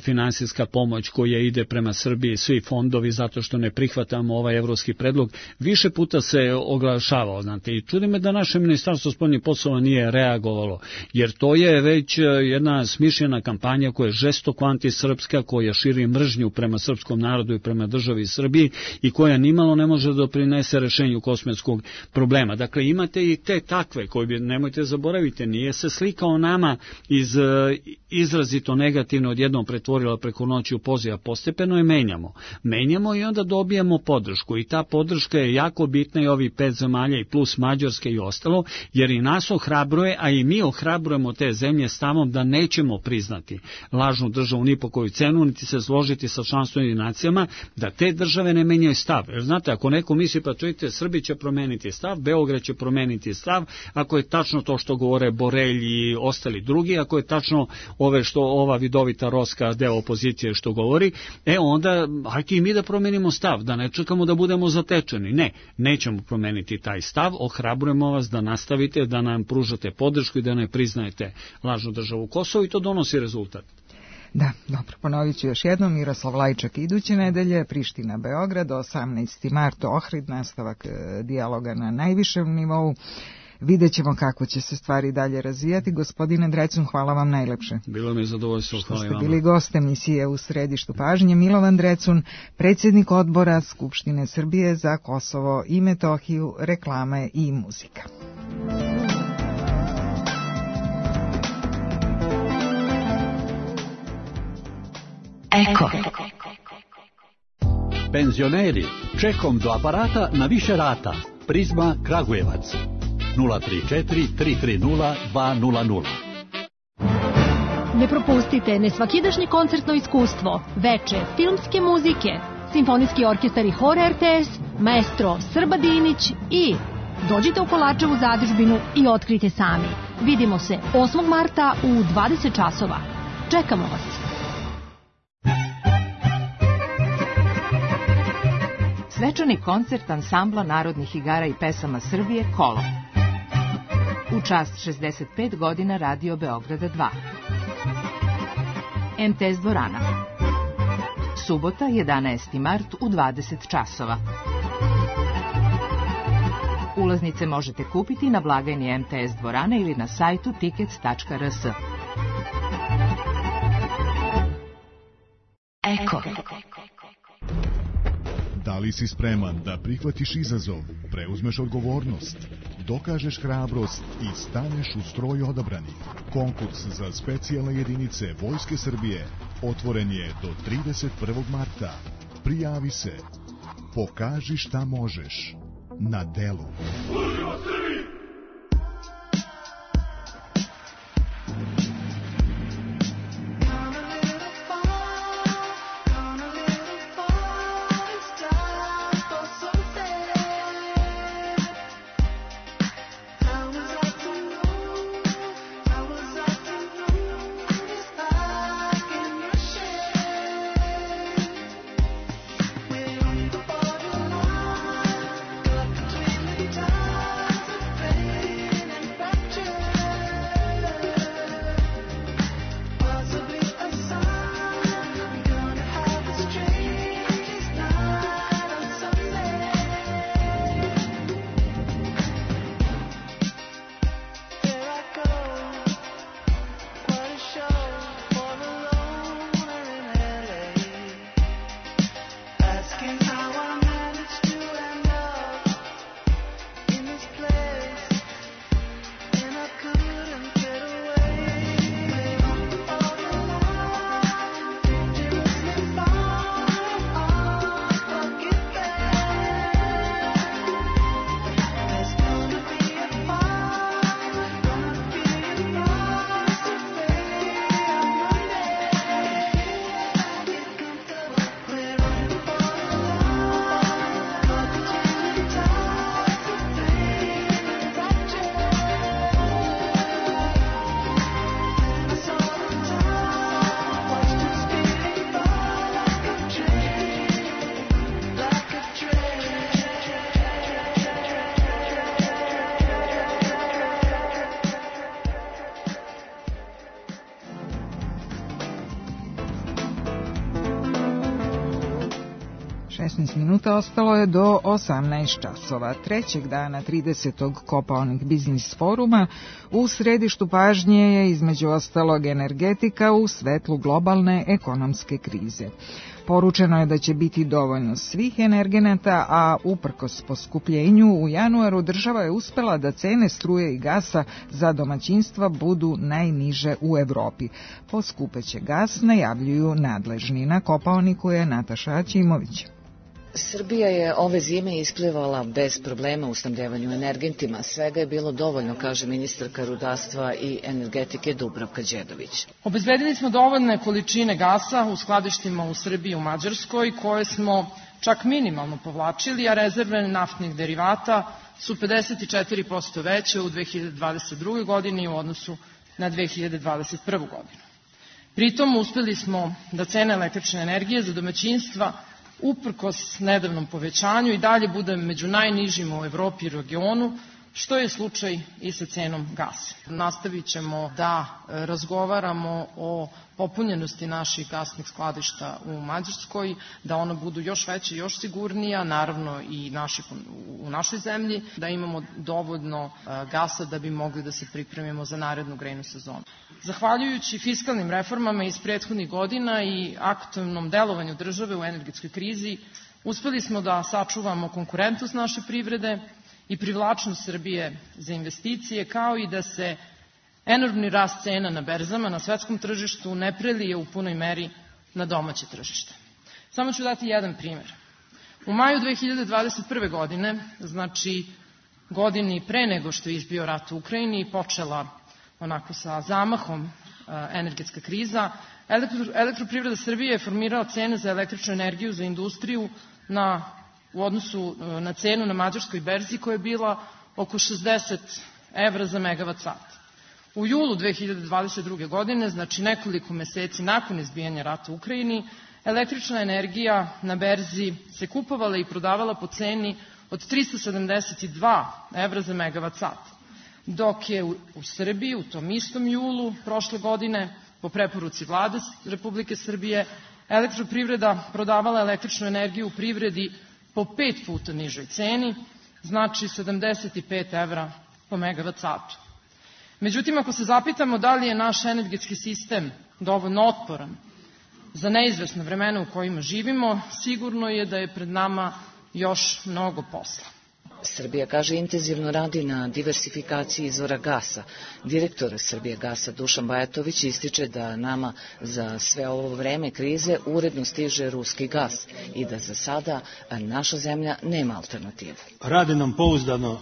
finansijska pomoć koja ide prema Srbiji, svi fondovi, zato što ne prihvatamo ovaj evropski predlog. Više puta se oglašavao, znate, i čudi me da naše ministarstvo spoljnih poslova nije reagovalo, jer to je već jedna smišljena kampanja koja je žestoko antisrpska, koja širi mržnju prema srpskom narodu i prema državi Srbiji i koja nimalo ne može da doprinese rešenju kosmetskog problema. Dakle, imate i te takve koji bi, nemojte zaboraviti, nije se slika o nama iz izrazito negativno odjednom pretvorila preko noći u poziv, a postepeno je menjamo. Menjamo i onda dobijamo podršku i ta podrška je jako bitna i ovi 5 zemalja i plus Mađarske i ostalo, jer i nas ohrabruje, a i mi ohrabrujemo te zemlje stavom da nećemo priznati lažnu državu ni po koju cenu, niti se složiti sa članstvenim nacijama, da te države ne menjaju stav. Jer znate, ako neko misli, pa čujte, Srbi će promeniti stav, Beograd će promeniti stav, ako je tačno to što govore Borelj i ostali drugi, ako je tačno ova vidovita roska deo opozicije što govori, onda hajde i mi da promenimo stav, da ne čekamo da budemo zatečeni. Ne, nećemo promeniti taj stav, ohrabrujemo vas da nastavite, da nam pružate podršku i da ne priznajete lažnu državu Kosovo i to donosi rezultat. Da, dobro, ponovit ću još jednom. Miroslav Lajčak iduće nedelje, Priština, Beograd, 18. mart, Ohrid, nastavak dijaloga na najvišem nivou. Vidjet ćemo kako će se stvari dalje razvijati. Gospodine Drecun, hvala vam najlepše. Bilo mi je zadovoljstvo, hvala i vama. Što ste bili gost emisije U središtu pažnje. Milovan Drecun, predsjednik odbora Skupštine Srbije za Kosovo i Metohiju, reklame i muzika. Eko. Penzioneri, čekom do aparata na više rata. Prizma Kragujevac 034 330 200. Ne propustite nesvakidašnje koncertno iskustvo, veče filmske muzike, simfonijski orkestar i hor RTS, maestro Srba Dinić i dođite u Kolačevu zadužbinu i otkrite sami. Vidimo se 8. marta u 20 časova. Čekamo vas. Svečani koncert ansambla narodnih igara i pesama Srbije Kolo. U čast 65 godina Radio Beograda 2. MTS dvorana. Subota 11. mart u 20 časova. Ulaznice možete kupiti na blagajni MTS dvorane ili na sajtu tickets.rs. Eko. Da li si spreman da prihvatiš izazov, preuzmeš odgovornost, dokažeš hrabrost i staneš u stroj odabranih? Konkurs za specijalne jedinice Vojske Srbije otvoren je do 31. marta. Prijavi se. Pokaži šta možeš. Na delu. Služimo Srbiji! 16 minuta ostalo je do 18 časova. Trećeg dana 30. Kopaonik biznis foruma u središtu pažnje je između ostalog energetika u svetlu globalne ekonomske krize. Poručeno je da će biti dovoljno svih energenata, a uprkos poskupljenju u januaru država je uspela da cene struje i gasa za domaćinstva budu najniže u Evropi. Poskupeće gas najavljuju nadležni. Na Kopaoniku je Nataša Aćimović. Srbija je ove zime isplivala bez problema u snabdevanju energentima. Svega je bilo dovoljno, kaže ministarka rudarstva i energetike Dubravka Đedović. Obezbedili smo dovoljne količine gasa u skladištima u Srbiji i u Mađarskoj, koje smo čak minimalno povlačili, a rezerve naftnih derivata su 54% veće u 2022. godini u odnosu na 2021. godinu. Pritom uspeli smo da cene električne energije za domaćinstva uprkos nedavnom povećanju i dalje bude među najnižima u Evropi i regionu, što je slučaj i sa cenom gasa. Nastavit ćemo da razgovaramo o popunjenosti naših gasnih skladišta u Mađarskoj, da ona budu još veća i još sigurnija, naravno i u našoj zemlji, da imamo dovoljno gasa da bi mogli da se pripremimo za narednu grejnu sezonu. Zahvaljujući fiskalnim reformama iz prethodnih godina i aktivnom delovanju države u energetskoj krizi, uspeli smo da sačuvamo konkurentnost naše privrede i privlačnost Srbije za investicije, kao i da se enormni rast cena na berzama na svetskom tržištu ne prelije u punoj meri na domaće tržište. Samo ću dati jedan primer. U maju 2021. godine, znači godini pre nego što je izbio rat u Ukrajini i počela onako sa zamahom energetska kriza, Elektroprivreda Srbije je formirala cene za električnu energiju za industriju u odnosu na cenu na mađarskoj berzi koja je bila oko 60 evra za megavat sat. U julu 2022. godine, znači nekoliko meseci nakon izbijanja rata u Ukrajini, električna energija na berzi se kupovala i prodavala po ceni od 372 evra za megavat sat, dok je u Srbiji u tom istom julu prošle godine, po preporuci Vlade Republike Srbije, Elektroprivreda prodavala električnu energiju u privredi po 5 puta nižoj ceni, znači 75 evra po megavat satu. Međutim, ako se zapitamo da li je naš energetski sistem dovoljno otporan za neizvesna vremena u kojima živimo, sigurno je da je pred nama još mnogo posla. Srbija, kaže, intenzivno radi na diversifikaciji izvora gasa. Direktor Srbijagasa Dušan Bajatović ističe da nama za sve ovo vreme krize uredno stiže ruski gas i da za sada naša zemlja nema alternativu. Rade nam pouzdano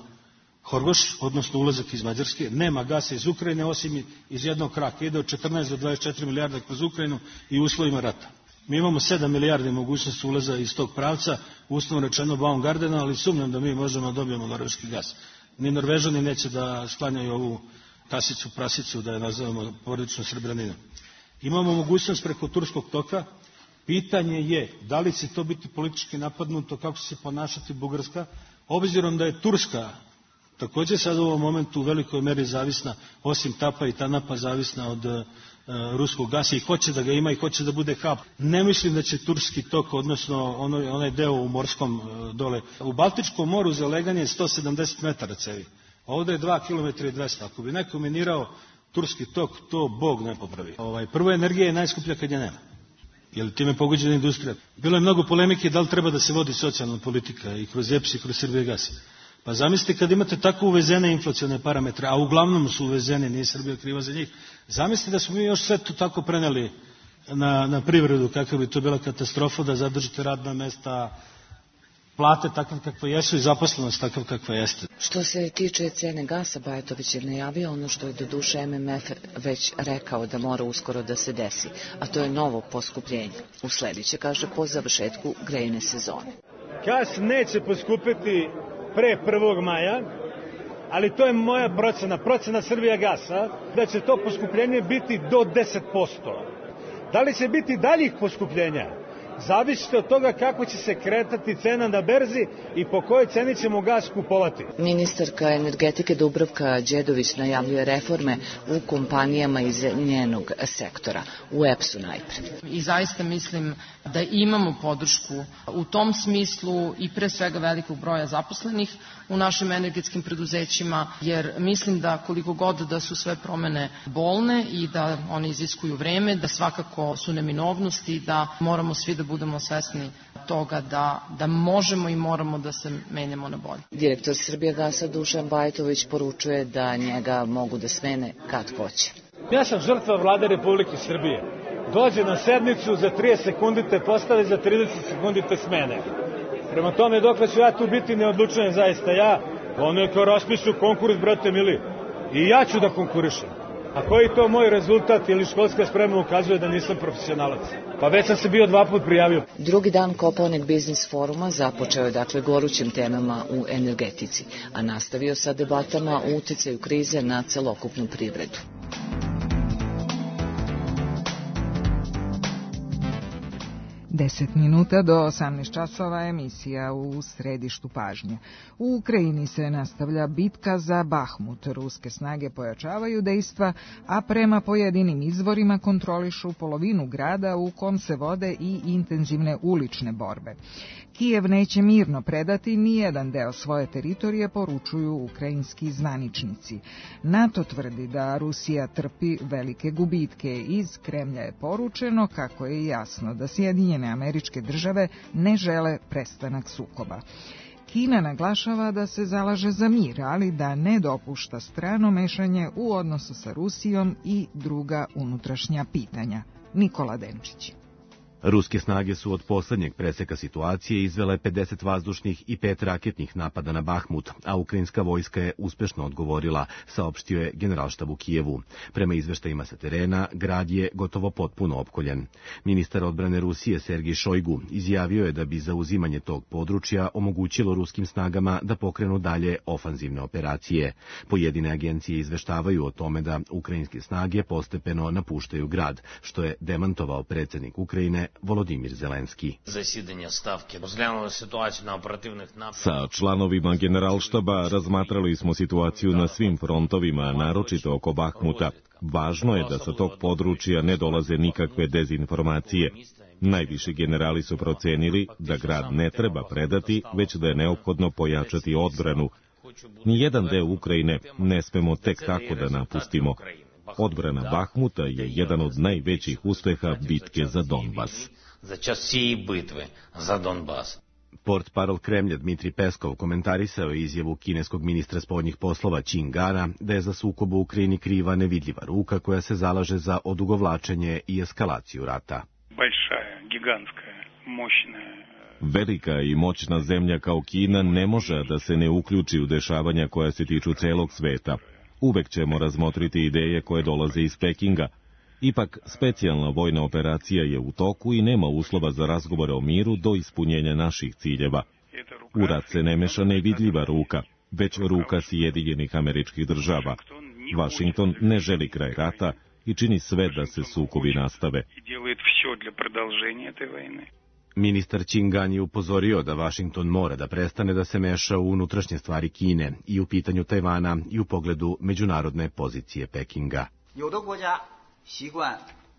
Horgoš, odnosno ulazak iz Mađarske, nema gasa iz Ukrajine osim iz jednog kraka. Ide od 14 do 24 milijarda kroz Ukrajinu i u uslovima rata. Mi imamo 7 milijardi mogućnosti ulaza iz tog pravca, uslovno rečeno Baumgardena, ali sumnjam da mi možemo dobijemo norveški gas. Ni Norvežani neće da sklanjaju ovu tasicu, prasicu, da je nazovemo porodično Srebraninom. Imamo mogućnost preko Turskog toka. Pitanje je da li će to biti politički napadnuto, kako će se ponašati Bugarska, obzirom da je Turska također sad u ovom momentu u velikoj meri zavisna, osim Tapa i Tanapa, zavisna od ruskog gasa i hoće da ga ima i hoće da bude hub. Ne mislim da će Turski tok, odnosno onaj deo u morskom dole. U Baltičkom moru za leganje je 170 metara cevi. Ovde je 2 km i 200. Ako bi neko minirao Turski tok, to Bog ne popravi. Prvo, energija je najskuplja kad je nema. Jer time je pogođena industrija. Bilo je mnogo polemike da li treba da se vodi socijalna politika i kroz EPS i kroz Srbijagas. Pa zamislite kad imate tako uvezene inflacione parametre, a uglavnom su uvezene, nije Srbija kriva za njih, zamislite da smo mi još sve to tako preneli na privredu, kakva bi to bila katastrofa, da zadržite radna mesta, plate takve kakve jesu i zaposlenost takva kakva jeste. Što se tiče cene gasa, Bajatović je najavio ono što je do duše MMF već rekao da mora uskoro da se desi, a to je novo poskupljenje. Uslediće, kaže, po završetku grejne sezone. Gas neće poskupiti pre 1. maja, ali to je moja procena Srbijagasa, da će to poskupljenje biti do 10%. Da li će biti daljih poskupljenja? Zavisite od toga kako će se kretati cena na berzi i po kojoj ceni ćemo gas kupovati. Ministarka energetike Dubravka Đedović najavljuje reforme u kompanijama iz njenog sektora, u EPS-u najpre. I zaista mislim da imamo podršku u tom smislu i pre svega velikog broja zaposlenih u našim energetskim preduzećima, jer mislim da koliko god da su sve promene bolne i da one iziskuju vreme, da svakako su neminovnosti, da moramo svi da budemo svesni toga da možemo i moramo da se menjamo na bolje. Direktor Srbijagasa Dušan Bajatović poručuje da njega mogu da smene kad hoće. Ja sam žrtva Vlade Republike Srbije. Dođe na sednicu, za 30 sekundi te postave, za 30 sekundi te smene. Prema tome, dokle ću ja tu biti, ne odlučujem zaista ja. Ono je kao raspišu konkurs, brate mili. I ja ću da konkurišem. A koji to moj rezultat ili školska sprema ukazuje da nisam profesionalac? Pa već sam se bio 2 puta prijavio. Drugi dan Kopaonik biznis foruma započeo je dakle gorućim temama u energetici, a nastavio sa debatama o uticaju krize na celokupnu privredu. 10 minuta do 18 časova emisija u središtu pažnje. U Ukrajini se nastavlja bitka za Bahmut. Ruske snage pojačavaju dejstva, a prema pojedinim izvorima kontrolišu polovinu grada u kom se vode i intenzivne ulične borbe. Kijev neće mirno predati ni jedan deo svoje teritorije, poručuju ukrajinski zvaničnici. NATO tvrdi da Rusija trpi velike gubitke. Iz Kremlja je poručeno kako je jasno da Sjedinjene Američke Države ne žele prestanak sukoba. Kina naglašava da se zalaže za mir, ali da ne dopušta strano mešanje u odnosu sa Rusijom i druga unutrašnja pitanja. Nikola Denčić. Ruske snage su od poslednjeg preseka situacije izvele 50 vazdušnih i 5 raketnih napada na Bahmut, a ukrajinska vojska je uspešno odgovorila, saopštio je Generalštab u Kijevu. Prema izveštajima sa terena, grad je gotovo potpuno opkoljen. Ministar odbrane Rusije Sergij Šojgu izjavio je da bi zauzimanje tog područja omogućilo ruskim snagama da pokrenu dalje ofanzivne operacije. Pojedine agencije izveštavaju o tome da ukrajinske snage postepeno napuštaju grad, što je demantovao predsjednik Ukrajine Volodimir Zelenski. Sa članovima Generalštaba razmatrali smo situaciju na svim frontovima, naročito oko Bahmuta. Važno je da sa tog područja ne dolaze nikakve dezinformacije. Najviši generali su procenili da grad ne treba predati, već da je neophodno pojačati odbranu. Nijedan deo Ukrajine ne smemo tek tako da napustimo. Odbrana Bahmuta je jedan od najvećih uspeha bitke za Donbas. Portparol Kremlja Dmitri Peskov komentarisao je izjavu kineskog ministra spoljnih poslova Čingana da je za sukob u Ukrajini kriva nevidljiva ruka koja se zalaže za odugovlačenje i eskalaciju rata. Velika i moćna zemlja kao Kina ne može da se ne uključi u dešavanja koja se tiču celog sveta. Uvek ćemo razmotriti ideje koje dolaze iz Pekinga. Ipak, specijalna vojna operacija je u toku i nema uslova za razgovore o miru do ispunjenja naših ciljeva. U rat se ne meša nevidljiva ruka, već ruka Sjedinjenih Američkih Država. Vašington ne želi kraj rata i čini sve da se sukobi nastave. Ministar Čingan je upozorio da Vašington mora da prestane da se meša u unutrašnje stvari Kine i u pitanju Tajvana i u pogledu međunarodne pozicije Pekinga.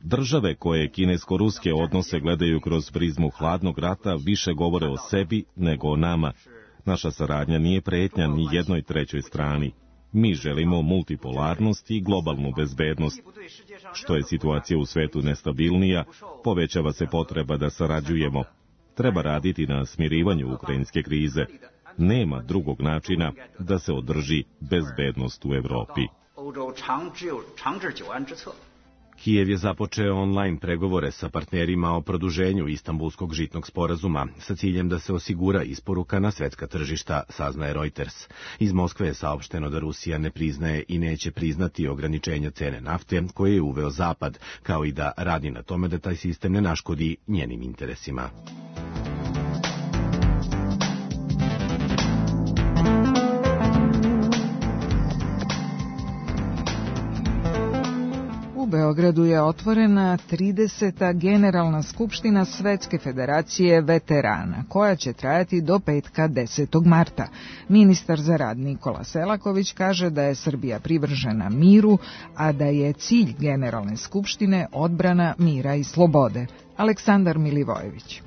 Države koje kinesko-ruske odnose gledaju kroz prizmu hladnog rata više govore o sebi nego o nama. Naša saradnja nije pretnja ni jednoj trećoj strani. Mi želimo multipolarnost i globalnu bezbednost. Što je situacija u svetu nestabilnija, povećava se potreba da sarađujemo. Treba raditi na smirivanju ukrajinske krize. Nema drugog načina da se održi bezbednost u Evropi. Kijev je započeo online pregovore sa partnerima o produženju Istanbulskog žitnog sporazuma sa ciljem da se osigura isporuka na svetska tržišta, saznaje Reuters. Iz Moskve je saopšteno da Rusija ne priznaje i neće priznati ograničenja cene nafte koje je uveo Zapad, kao i da radi na tome da taj sistem ne naškodi njenim interesima. Beogradu je otvorena 30. Generalna skupština Svetske federacije veterana, koja će trajati do petka 10. marta. Ministar za rad Nikola Selaković kaže da je Srbija privržena miru, a da je cilj Generalne skupštine odbrana mira i slobode. Aleksandar Milivojević.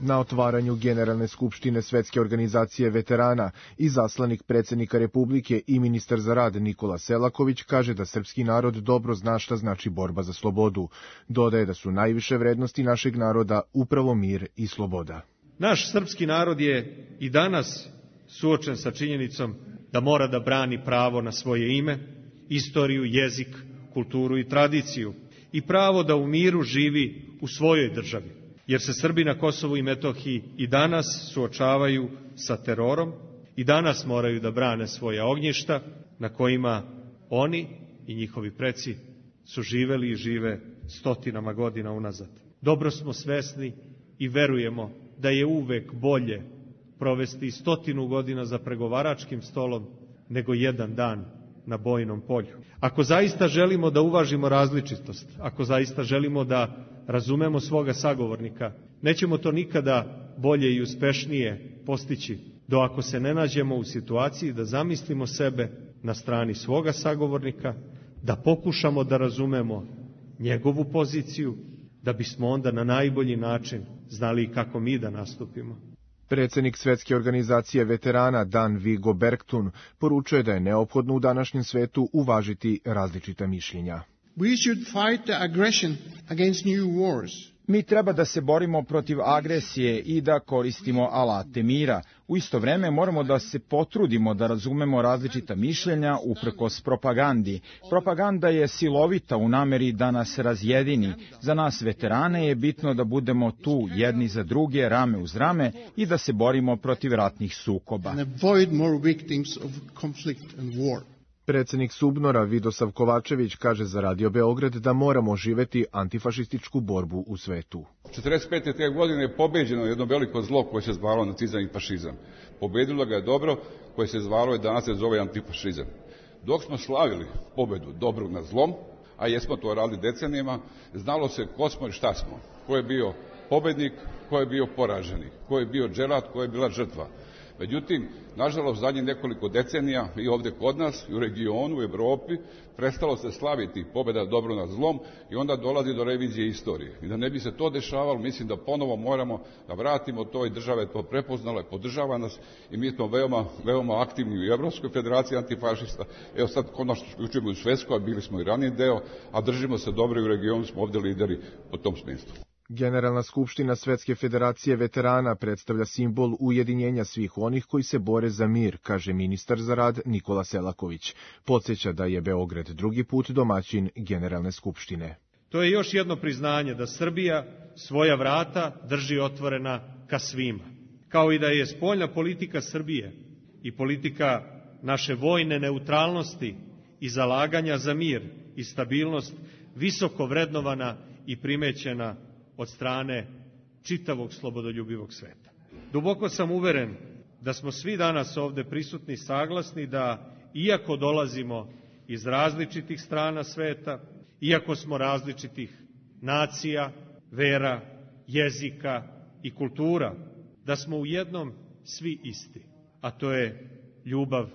Na otvaranju Generalne skupštine Svetske organizacije veterana izaslanik predsjednika Republike i ministar za rad Nikola Selaković kaže da srpski narod dobro zna šta znači borba za slobodu. Dodaje da su najviše vrednosti našeg naroda upravo mir i sloboda. Naš srpski narod je i danas suočen sa činjenicom da mora da brani pravo na svoje ime, istoriju, jezik, kulturu i tradiciju i pravo da u miru živi u svojoj državi. Jer se Srbi na Kosovu i Metohiji i danas suočavaju sa terorom i danas moraju da brane svoja ognjišta na kojima oni i njihovi preci su živeli i žive stotinama godina unazad. Dobro smo svesni i verujemo da je uvek bolje provesti 100 godina za pregovaračkim stolom nego jedan dan na bojnom polju. Ako zaista želimo da uvažimo različitost, ako zaista želimo da razumemo svoga sagovornika, nećemo to nikada bolje i uspešnije postići do ako se ne nađemo u situaciji da zamislimo sebe na strani svoga sagovornika, da pokušamo da razumemo njegovu poziciju, da bismo onda na najbolji način znali kako mi da nastupimo. Predsjednik Svetske organizacije veterana Dan Vigo Bergtun poručuje da je neophodno u današnjem svetu uvažiti različita mišljenja. We should fight the aggression against new wars. Mi treba da se borimo protiv agresije i da koristimo alate mira. U isto vreme moramo da se potrudimo da razumemo različita mišljenja uprkos propagandi. Propaganda je silovita u nameri da nas razjedini. Za nas veterane je bitno da budemo tu jedni za druge, rame uz rame i da se borimo protiv ratnih sukoba. And avoid more victims of conflict and war. Predsjednik Subnora Vidosav Kovačević kaže za Radio Beograd da moramo živeti antifašističku borbu u svetu. 45. te godine je pobeđeno jedno veliko zlo koje se zvalo nacizam i fašizam. Pobedilo ga je dobro koje se zvalo i danas se zove antifašizam. Dok smo slavili pobedu dobrog nad zlom, a jesmo to radili decenijama, znalo se ko smo i šta smo. Ko je bio pobednik, ko je bio poraženik, ko je bio dželat, ko je bila žrtva. Međutim, nažalost, zadnjih nekoliko decenija i ovdje kod nas, i u regionu, u Evropi, prestalo se slaviti pobjeda dobro nad zlom i onda dolazi do revizije istorije. I da ne bi se to dešavalo, mislim da ponovo moramo da vratimo to i država je to prepoznala i podržava nas i mi smo veoma aktivni u Evropskoj federaciji antifašista. Evo sad konačno uključujemo u Svetsku, a bili smo i ranije deo, a držimo se dobro i u regionu smo ovdje lideri po tom smislu. Generalna skupština Svetske federacije veterana predstavlja simbol ujedinjenja svih onih koji se bore za mir, kaže ministar za rad Nikola Selaković. Podsjeća da je Beograd drugi put domaćin Generalne skupštine. To je još jedno priznanje da Srbija svoja vrata drži otvorena ka svima. Kao i da je spoljna politika Srbije i politika naše vojne neutralnosti i zalaganja za mir i stabilnost visoko vrednovana i primećena od strane čitavog slobodoljubivog sveta. Duboko sam uveren da smo svi danas ovde prisutni saglasni da, iako dolazimo iz različitih strana sveta, iako smo različitih nacija, vera, jezika i kultura, da smo u jednom svi isti, a to je ljubav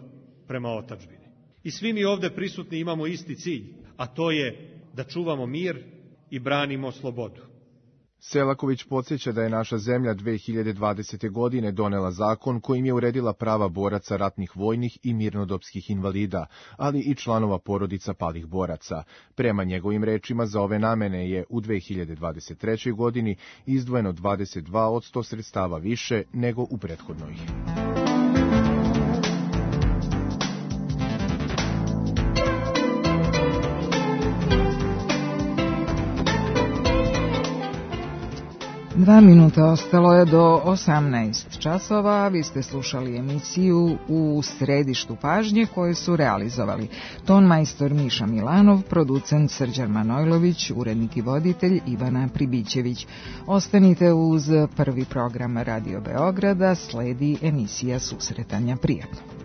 prema otadžbini. I svi mi ovde prisutni imamo isti cilj, a to je da čuvamo mir i branimo slobodu. Selaković podsjeća da je naša zemlja 2020. godine donela zakon kojim je uredila prava boraca ratnih vojnih i mirnodopskih invalida, ali i članova porodica palih boraca. Prema njegovim rečima za ove namene je u 2023. godini izdvojeno 22% sredstava više nego u prethodnoj. Dva minuta ostalo je do 18 časova. Vi ste slušali emisiju U središtu pažnje koju su realizovali ton majstor Miša Milanov, producent Srđan Manojlović, urednik i voditelj Ivana Pribićević. Ostanite uz prvi program Radio Beograda, sledi emisija Susretanja. Prijatno.